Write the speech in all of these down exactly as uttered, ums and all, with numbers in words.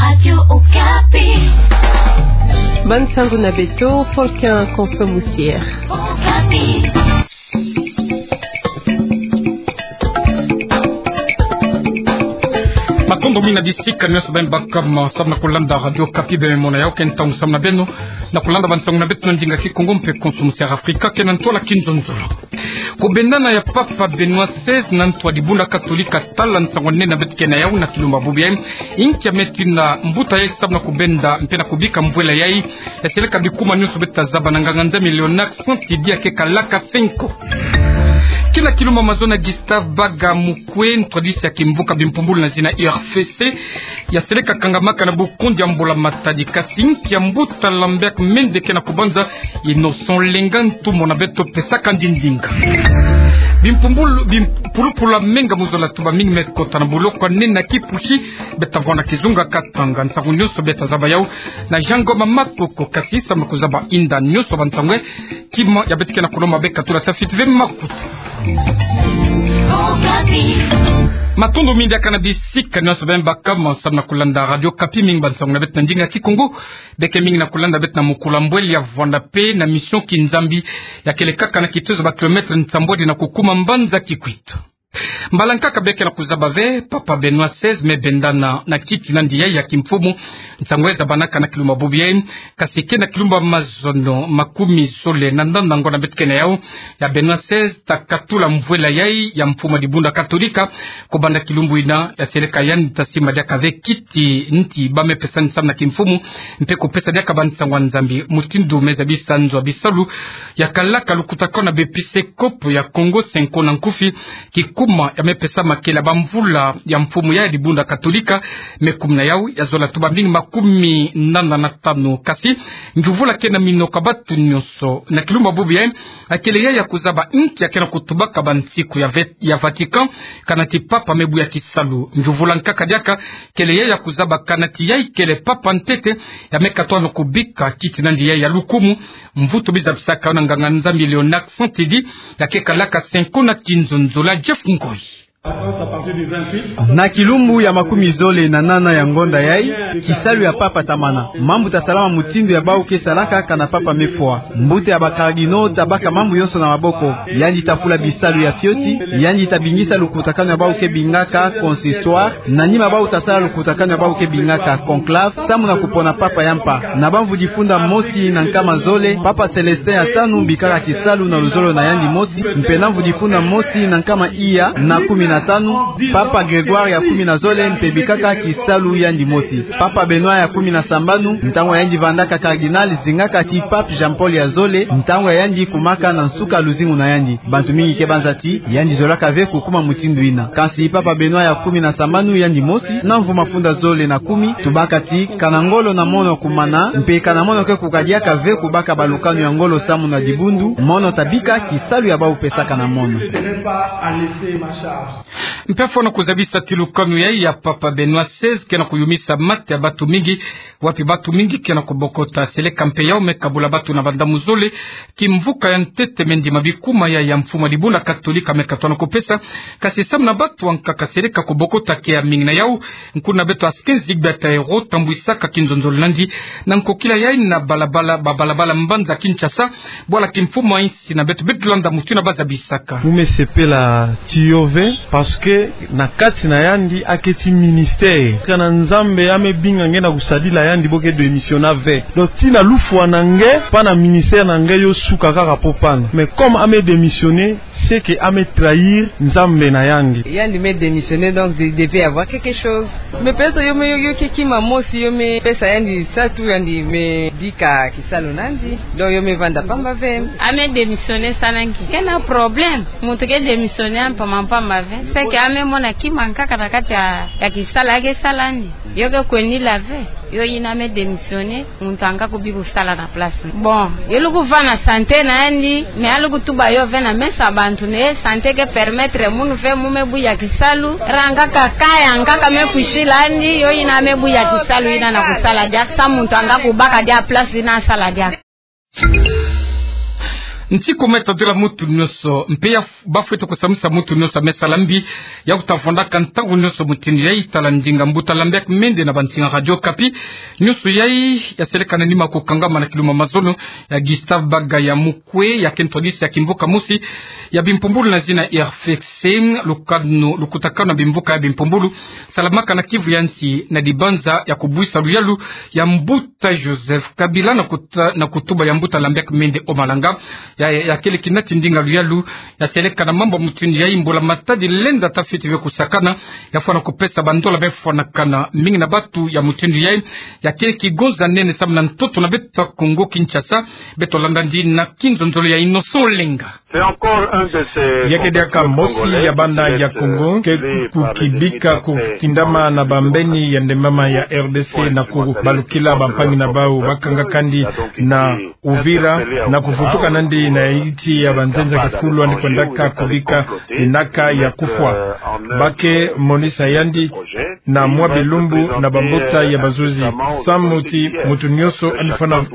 Radio Okapi. Bani nsangu na beto, Faustin Konso Musier. Okapi. Matondo mingi na bisika nyonso beno baka samu na kulanda Radio Okapi, beno mona yawu ke ntangu samu na beno na kulanda bani nsangu na beto na ndinga Kikongo mpe Konso Musier Afrika ke na ntwala kinzonzolo. Kubendana ya Papa Benoît seize na ntu wa dibundu Katolika, tala nsangu nene beto ke na yawu na kilumbu bubu yayi. Inki ya me twina mbuta yayi samu na kubenda mpe na kubika mvwela yayi? Ya seleka bikuma nyonso beto ta zaba na nganga-Nzambi Léonard Santidi ya ke kalaka Cenco. Kina kilumbu mazono, Gustave Baga Mukwe, ntu wa disi ya kimvuka bimpumbulu na zina U R F C, ya seleka kangamaka na bukundi ya mbula-matadi. Kasi inki ya mbuta Lambert Mende ke na kubanza Innocent Lenga, ntumwa na beto pesaka ndinga. Bimpumbulu, bimpulupulu ya menga mu zola tuba mingi me kota na boloko nene na kipusi, beto ta vwanda kizunga katanga. Nsangu nyonso beto ta zaba yawu na Jean Ngoma Makoko, kasi samu na kuzaba inda nyonso ba nsangu, kima ya beto ke na kulomba beka tula tafiti ve makutu. Matondo mingi diaka na bisika nyonso beno baka samu na kulanda Radio Okapi, mingi ba nsangu na beto na ndinga Kikongo. Beke mingi na kulanda beto na mukula mbwele ya vwanda mpe na mission Kinzambi ya kele kaka na kitozo ba kilomètre nsambwadi na kukuma mbanza Kikwit. Mbala nkaka beke na kuzaba ve, Papa Benoît seize me bendana na kiti na yandi yayi ya kimfumu. Nsangu yayi zabanaka na kilumbu bubu yayi, kasi ke na kilumbu mazono makumi zole na nana ngonda beto ke na yawu, ya Benoît seize ta katula mvwela yayi ya mfumu wa dibundu Katolika. Kubanda kilumbu yina, ya seleka yandi ta simba diaka ve kiti nti ba me pesa ni samu na kimfumu, mpe kupesa diaka ba nsangu ya Nzambi mutindu me zabisa nzo ya bisalu ya kalaka lukutakanu na bepiskopo ya Kongo, Cenco na nkufi. Kikuma ya me pesa makela ba mvula ya mfumu ya dibundu Katolika, me kuma na yawu ya zola tuba mingi makumi nana na tanu. Kasi ngiuvula ke na mino ka batu nyonso na kilumbu bubu yayi, ya kele yayi ya kuzaba inki ya ke na kutubaka ba nsiku ya ve-, ya Vatican, kana ti Papa me buya kisalu. Ngiuvula nkaka diaka kele yayi ya kuzaba kana ti yayi kele Papa ntete ya me katono kubika kiti na yandi yayi ya lukumu. Mvutu bi zabisaka yo na nganga-Nzambi Léonard Santidi ya ke kalaka Cenco na kinzonzolo. Jeff Ngoyi. Na kilumbu ya makumi zole na nana ya ngonda yayi, kisalu ya Papa ta mana. Mambu ta salama mutindu ya bawu ke salaka kana Papa me fwa. Mbuta ya ba cardinaux ta baka mambu yonso na maboko. Yandi ta fula bisalu ya fioti, yandi ta bingisa lukutakanu ya bawu ke bingaka consistoire, na nima bawu ta sala lukutakanu ya bawu ke bingaka conclave, samu na kupona Papa ya mpa. Na ba mvu difunda mosi na nkama zole, Papa Célestin ya tanu bikaka kisalu na luzolo na yandi mosi, mpe na mvu difunda mosi na nkama iya na kumi na tanu, Papa Grégoire ya kumi na zole mpe bikaka kisalu yandi mosi. Papa Benoît ya kumi na sambanu, ntangu yandi vandaka cardinal, zingaka ti Pape Jean-Paul ya zole, ntangu ya yandi kumaka na nsuka luzingu na yandi. Bantu mingi ke banza ti yandi zolaka ve kukuma mutindu yina. Kansi Papa Benoît ya kumi na sambanu yandi mosi, na mvu mafunda zole na kumi, tubaka ti kana ngolo na mono kumana, mpe kana mono ke kukadiaka ve kubaka balukanu ya ngolo samu na dibundu, mono ta bika kisalu ya bawu pesaka na mono. Mpe fwana kuzabisa ti lukanu yayi ya Papa Benoît seize ke na kuyumisa mate ya batu mingi, wapi batu mingi ke na kubokota. Seleka mpe yawu me kabula batu na bandamu zole. Kimvuka ya ntete me ndima bikuma ya, ya mfumu wa dibundu Katolika me katono kupesa, kasi samu na batu ankaka seleka kubokota ke ya mingi. Na yawu, nkuna beto Askin Zigbata Ero tambwisaka kinzonzolo na yandi na nkokila yayi na balabala, ba balabala mbanza Kinshasa, bwala kimfumu ya insi na beto. Beto landa mutu yina ba zabisaka. Mu me sepela ti yo ve, parce que na kati na yandi aketi ministère. Kana Nzambe ya me binga nge na kusadila yandi, bo ke démissionner ve. Donc, tii na lufwa na nge, mpa na ministère na nge yo suka kaka po pana. Mais comme a me démissionner, c'est que a me trahir Nzambe na yandi. Yandi me démissionner, donc, il devait y avoir quelque chose. Mais peut-être yo me, yo, yo ke kima mosi, yo me pesa yandi nsatu, yandi me bika kisalu na yandi. Donc, yo me vanda pamba ve. A me démissionner, sala nki? Ke na problème. Muntu ke démissionner mpampamba ve. C'est que a me mona kima nkaka na kati ya, ya kisalu ya ke sala yandi. Yo ke kwenila ve. Yo yina a me démissionner, muntu anga kubi kusala na place. Bon, yo luku vanda santé na yandi, mais a luku tuba yo ve na meso ya bantu nde santé ke permettre munu ve mu me buya kisalu. Ranga kaka ya nkaka me kwisila yandi, yo yina a me buya kisalu yina na kusala diaka, sa muntu anga kubaka diaka place yina sala diaka. Nti ko meta dila mutu nioso, mpe ya f-, bafwete kusamisa mutu nioso ame sala mbi, ya kuta fondaka ntangu nioso mutindu yayi tala ndinga mbuta Lambert Mende na bantinga Radio Okapi. Nioso yayi, ya seleka na nima kukangama na kiluma mazono, ya Gustave Bagaya Mukwe, ya ke ntwadisi ya kimvuka mosi ya bimpumbulu na zina R F C, lukanu, lukutakanu na bimvuka ya bimpumbulu, salamaka na Kivu ya nsi na dibanza ya kubwisa luyalu ya mbuta Joseph Kabila na kuta-, na kutuba ya mbuta Lambert Mende Omalanga. Ya, ya, ya kele kinati ndinga luyalu, ya seleka na mambu mutindu yayi mbula matadi lenda ta fwete ve kusakana, ya fwana kupesa bandola me fwanakana. Mingi na batu ya mutindu yayi, ya kele kigonza nene samu na ntoto na beto ya Kongo Kinshasa. Beto landa ndi na kinzonzolo ya Innocent Olenga. Ya ke diaka mosi ya bana ya Kongo ke kukibika kutindama na bambeni ya ndembama ya R D C na kubalukila bampangi na bau bakangaka ndi na Uvira, na kuvutuka nandi na yiti ya banzenza kifulu andi kwendaka kubika inaka ya kufwa. Ba ke monisa yandi na mwa bilumbu na bambuta ya bazuzi. Samu ti mutu nioso andi fwana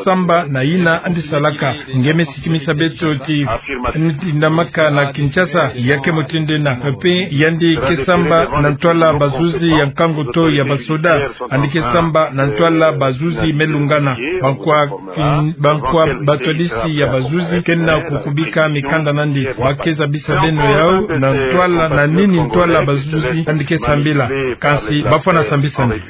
samba na yina andi salaka. Nge me sikimisa beto ti andi tindamaka na Kinshasa, ya ke mutindu yina. Mpe yandi ke samba na ntwala bazuzi ya nkangu to ya basoda. Andi ke samba na ntwala bazuzi me lungana. Bankwa kin-, bankwa batwadisi ya bazuzi ke na kukubika mikanda nandi. Ba ke zabisa beno yau na ntwala, na nini ntwala bazuzi andi ke sambila. Kansi ba fwana sambisa ndi.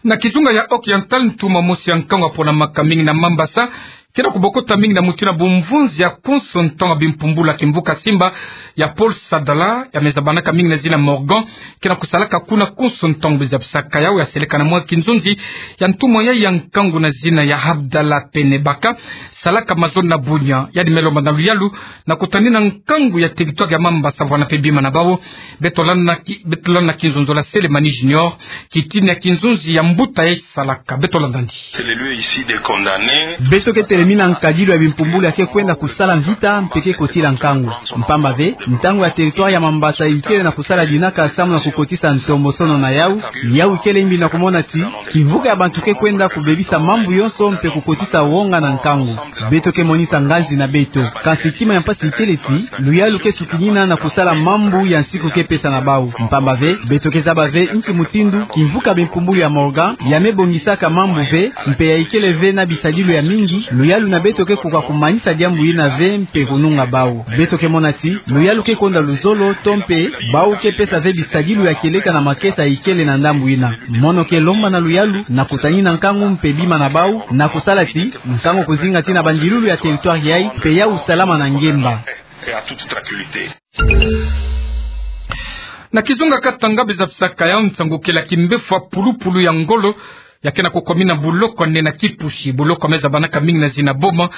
Na kizunga ya Occidental, ntumwa mosi ya nkangu ya ponamaka mingi na Mambasa ke na kubokota mingi na mutindu ya bumvunzi ya konso ntangu ya bimpumbulu ya kimvuka Simba ya Paul Sadala, ya me zabanaka mingi na zina Morgan, ke na kusalaka kuna konso ntangu. Bizabisaka yau, ya seleka na mwa kinzonzi ya ntumwa yayi ya nkangu na zina ya Abdallah Penebaka, salaka mazono na Bunia. Yandi me lomba na luyalu na kutanina nkangu ya territoire ya Mambasa vwana mpe bima na bau. Beto landa ki-, beto landa na kinzonzolo ya Selemani Junior, kitini ya kinzonzi ya mbuta yayi salaka. Beto landa ndi. Beto ke telemina nkadilu ya bimpumbulu ya ke kwenda kusala mvita mpe ke kotila nkangu. Mpamba ve, ntangu ya territoire ya Mambasa ikele na kusala dinaka samu na kukotisa ntombosono na yau, yau ikele mbi na kumona ti kimvuka ya bantu ke kwenda kubebisa mambu yonso mpe kukotisa wonga na nkangu. Beto ke monisa ngazi na beto. Kansi kima ya mpasi ikele ti luyalu ke sukinina na kusala mambu ya nsiku ke pesa na bau. Mpamba ve, beto ke zaba ve nki mutindu kimvuka bimpumbulu ya Morgan ya me bongisaka mambu ve, mpe ya ikele ve na bisadilu ya mingi. Luyalu na beto ke koka kumanisa diambu yina ve mpe kununga bau. Beto ke mona ti luyalu ke konda luzolo, to mpe bau ke pesa ve bisadilu ya kieleka na makesa ikele na ndambu yina. Mono ke lomba na luyalu na kutanina nkangu mpe bima na bau, na kusala ti nkangu kuzinga tii na bandilulu ya territoire yayi, mpe yau salama na ngemba. Na kizunga Katanga, bizabisaka yau nsangu kele ya kimbefo ya pulupulu ya ngolo ya ke na kukomina buloko ya nene ya Kipushi. Buloko ya me zabanaka mingi na zina Boma,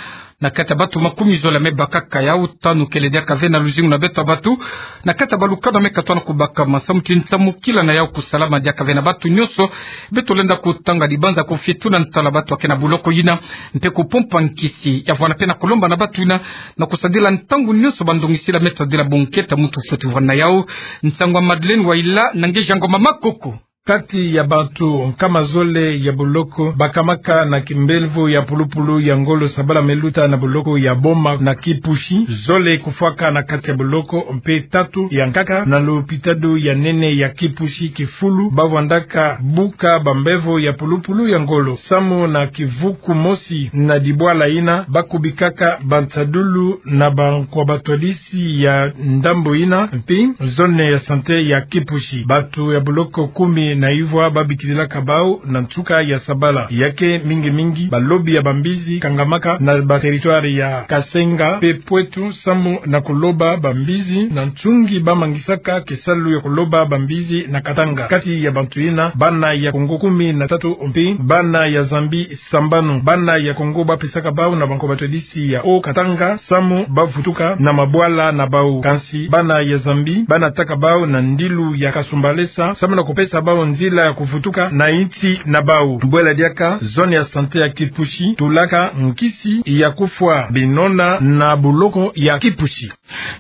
na kati ya batu makumi zole ya me bakaka yau, tanu kele diaka ve na luzingu na beto ya batu, na kati ya balukanu ya me katwana kubakama. Samu ti nsamukila na yau kusalama diaka ve na batu nyonso. Beto lenda kutanga dibanza kufituna ntwala batu ya ke na buloko yina, mpe kupompa nkisi ya vwana mpe na kulomba na batu yina na kusadila ntangu nyonso bandongisila me tadila bunkete ya muntu fweti vwana yau. Nsangu ya Madeleine Waila na nge Jean Ngoma Makoko. Kati ya bantu nkama zole ya buloko bakamaka na kimbefo ya pulupulu ya ngolo sabala me luta na buloko ya Boma na Kipushi, zole kufwaka na kati ya buloko, mpe tatu ya nkaka na lopitalo ya nene ya Kipushi, kifulu ba vwandaka buka bambefo ya pulupulu ya ngolo. Samu na kivuku mosi na dibwala yina ba kubikaka bansadulu na bankwa batwadisi ya ndambu yina, mpe zone ya santé ya Kipushi. Batu ya buloko kumi na ivwa ba bikililaka bau na nsuka ya sabala. Ya ke mingi mingi balobi ya bambizi kangamaka na ba territoire ya Kasenga mpe Poitou samu na kuloba bambizi na nsungi ba mangisaka kisalu ya kuloba bambizi na Katanga. Kati ya bantu yina, bana ya Kongo kumi na tatu mpe bana ya Zambie sambanu. Bana ya Kongo ba pesaka bau na bankwa batwadisi ya Haut-Katanga samu ba vutuka na mabwala na bau. Kansi bana ya Zambie ba nataka bau na ndilu ya Kasumbalesa samu na kupesa bau nzila ya kuvutuka na insi na bau. Bwela diaka zone ya santé ya Kipushi tulaka nkisi ya kufwa binona na buloko ya Kipushi.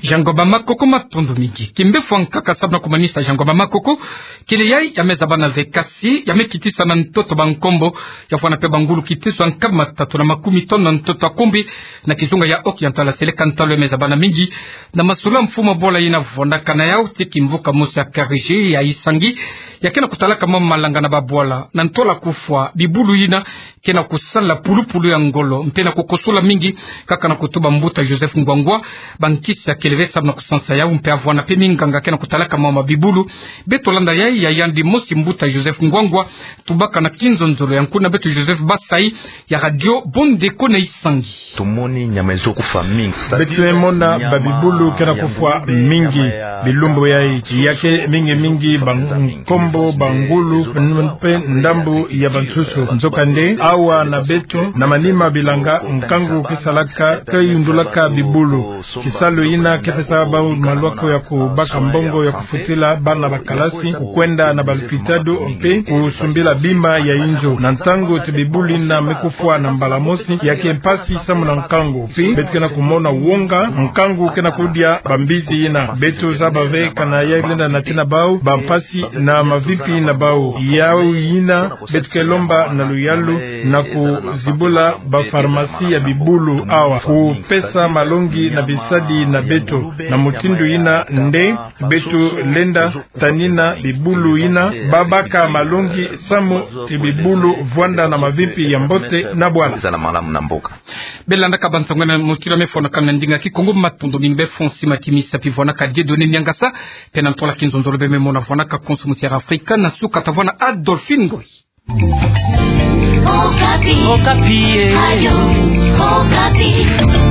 Jango Bamakoko, matondo mingi. Kimbefu ya nkaka sabu na kumanisa jango Bamakoko, kele yayi ya me zaba na ze kasi, ya me kitisa na ntoto bankombo, ya vwanda mpe bangulu kitiso ya nkambi matatu na makumi tanu na ntoto ya Kombi, na kizunga ya Occidental, seleka ntalo ya me zaba na mingi na masolo ya mfumu bwala yina vwandaka na yau ti kimvuka mosi ya K R G ya Isangi, ya ke na kutalaka mwa malanga na babwala na ntola kufwa bibulu yina ke na kusala pulupulu ya ngolo, mpe na kukosola mingi kaka na kutuba mbuta Joseph Ngwangwa bankisi ya kele ve sabu na kusansa yau, mpe avwanda mpe minganga ke na kutalaka mama bibulu. Beto landa yayi ya yandi mosi mbuta Joseph Ngwangwa, tubaka na kinzonzolo ya nkuna beto Joseph Basai ya Radio Bondeko na Isangi. Tomoni nyama ezo kufa mingi. Beto mona babibulu ke na kufwa mingi bilumbu yayi, ya ke mingi mingi bankombo, bangulu, mpe ndambu ya bansusu. Nzokande awa na beto na manima bilanga, nkangu ke salaka, ke yundulaka bibulu. Kisalu yina ke pesa bau malwako ya kubaka mbongo ya kufutila bana ba kalasi, kukwenda na balupitalu, mpe kusumbila bima ya inzo. Na ntangu ti bibulu yina me kufwa na mbala mosi, ya ke mpasi samu na nkangu. Mpe beto ke na kumona wonga, nkangu ke na kudia bambizi yina. Beto zaba ve kana ya lenda na tina bau bampasi na mavimpi na bau. Yau yina beto ke lomba na luyalu na kuzibula bapharmacie ya bibulu awa, kupesa malongi na bisadi na beto. Na mutindu yina nde beto lenda tanina bibulu yina, babaka malongi samu ti bibulu vwanda na mavimpi ya mbote na bwala. Zala malamu na mboka. Belandaka bansonga na motila me fwanaka na ndinga Kikongo, matondo mingi. Be fonsi matimisa pi vwanaka Dieudonné Niangasa, mpe na ntola kinzonzolo be me mona vwanaka konso musi ya Afrika na suka, ta vwanda Adolphine Ngoyi. Okapi. Okapi, eh. Radio Okapi.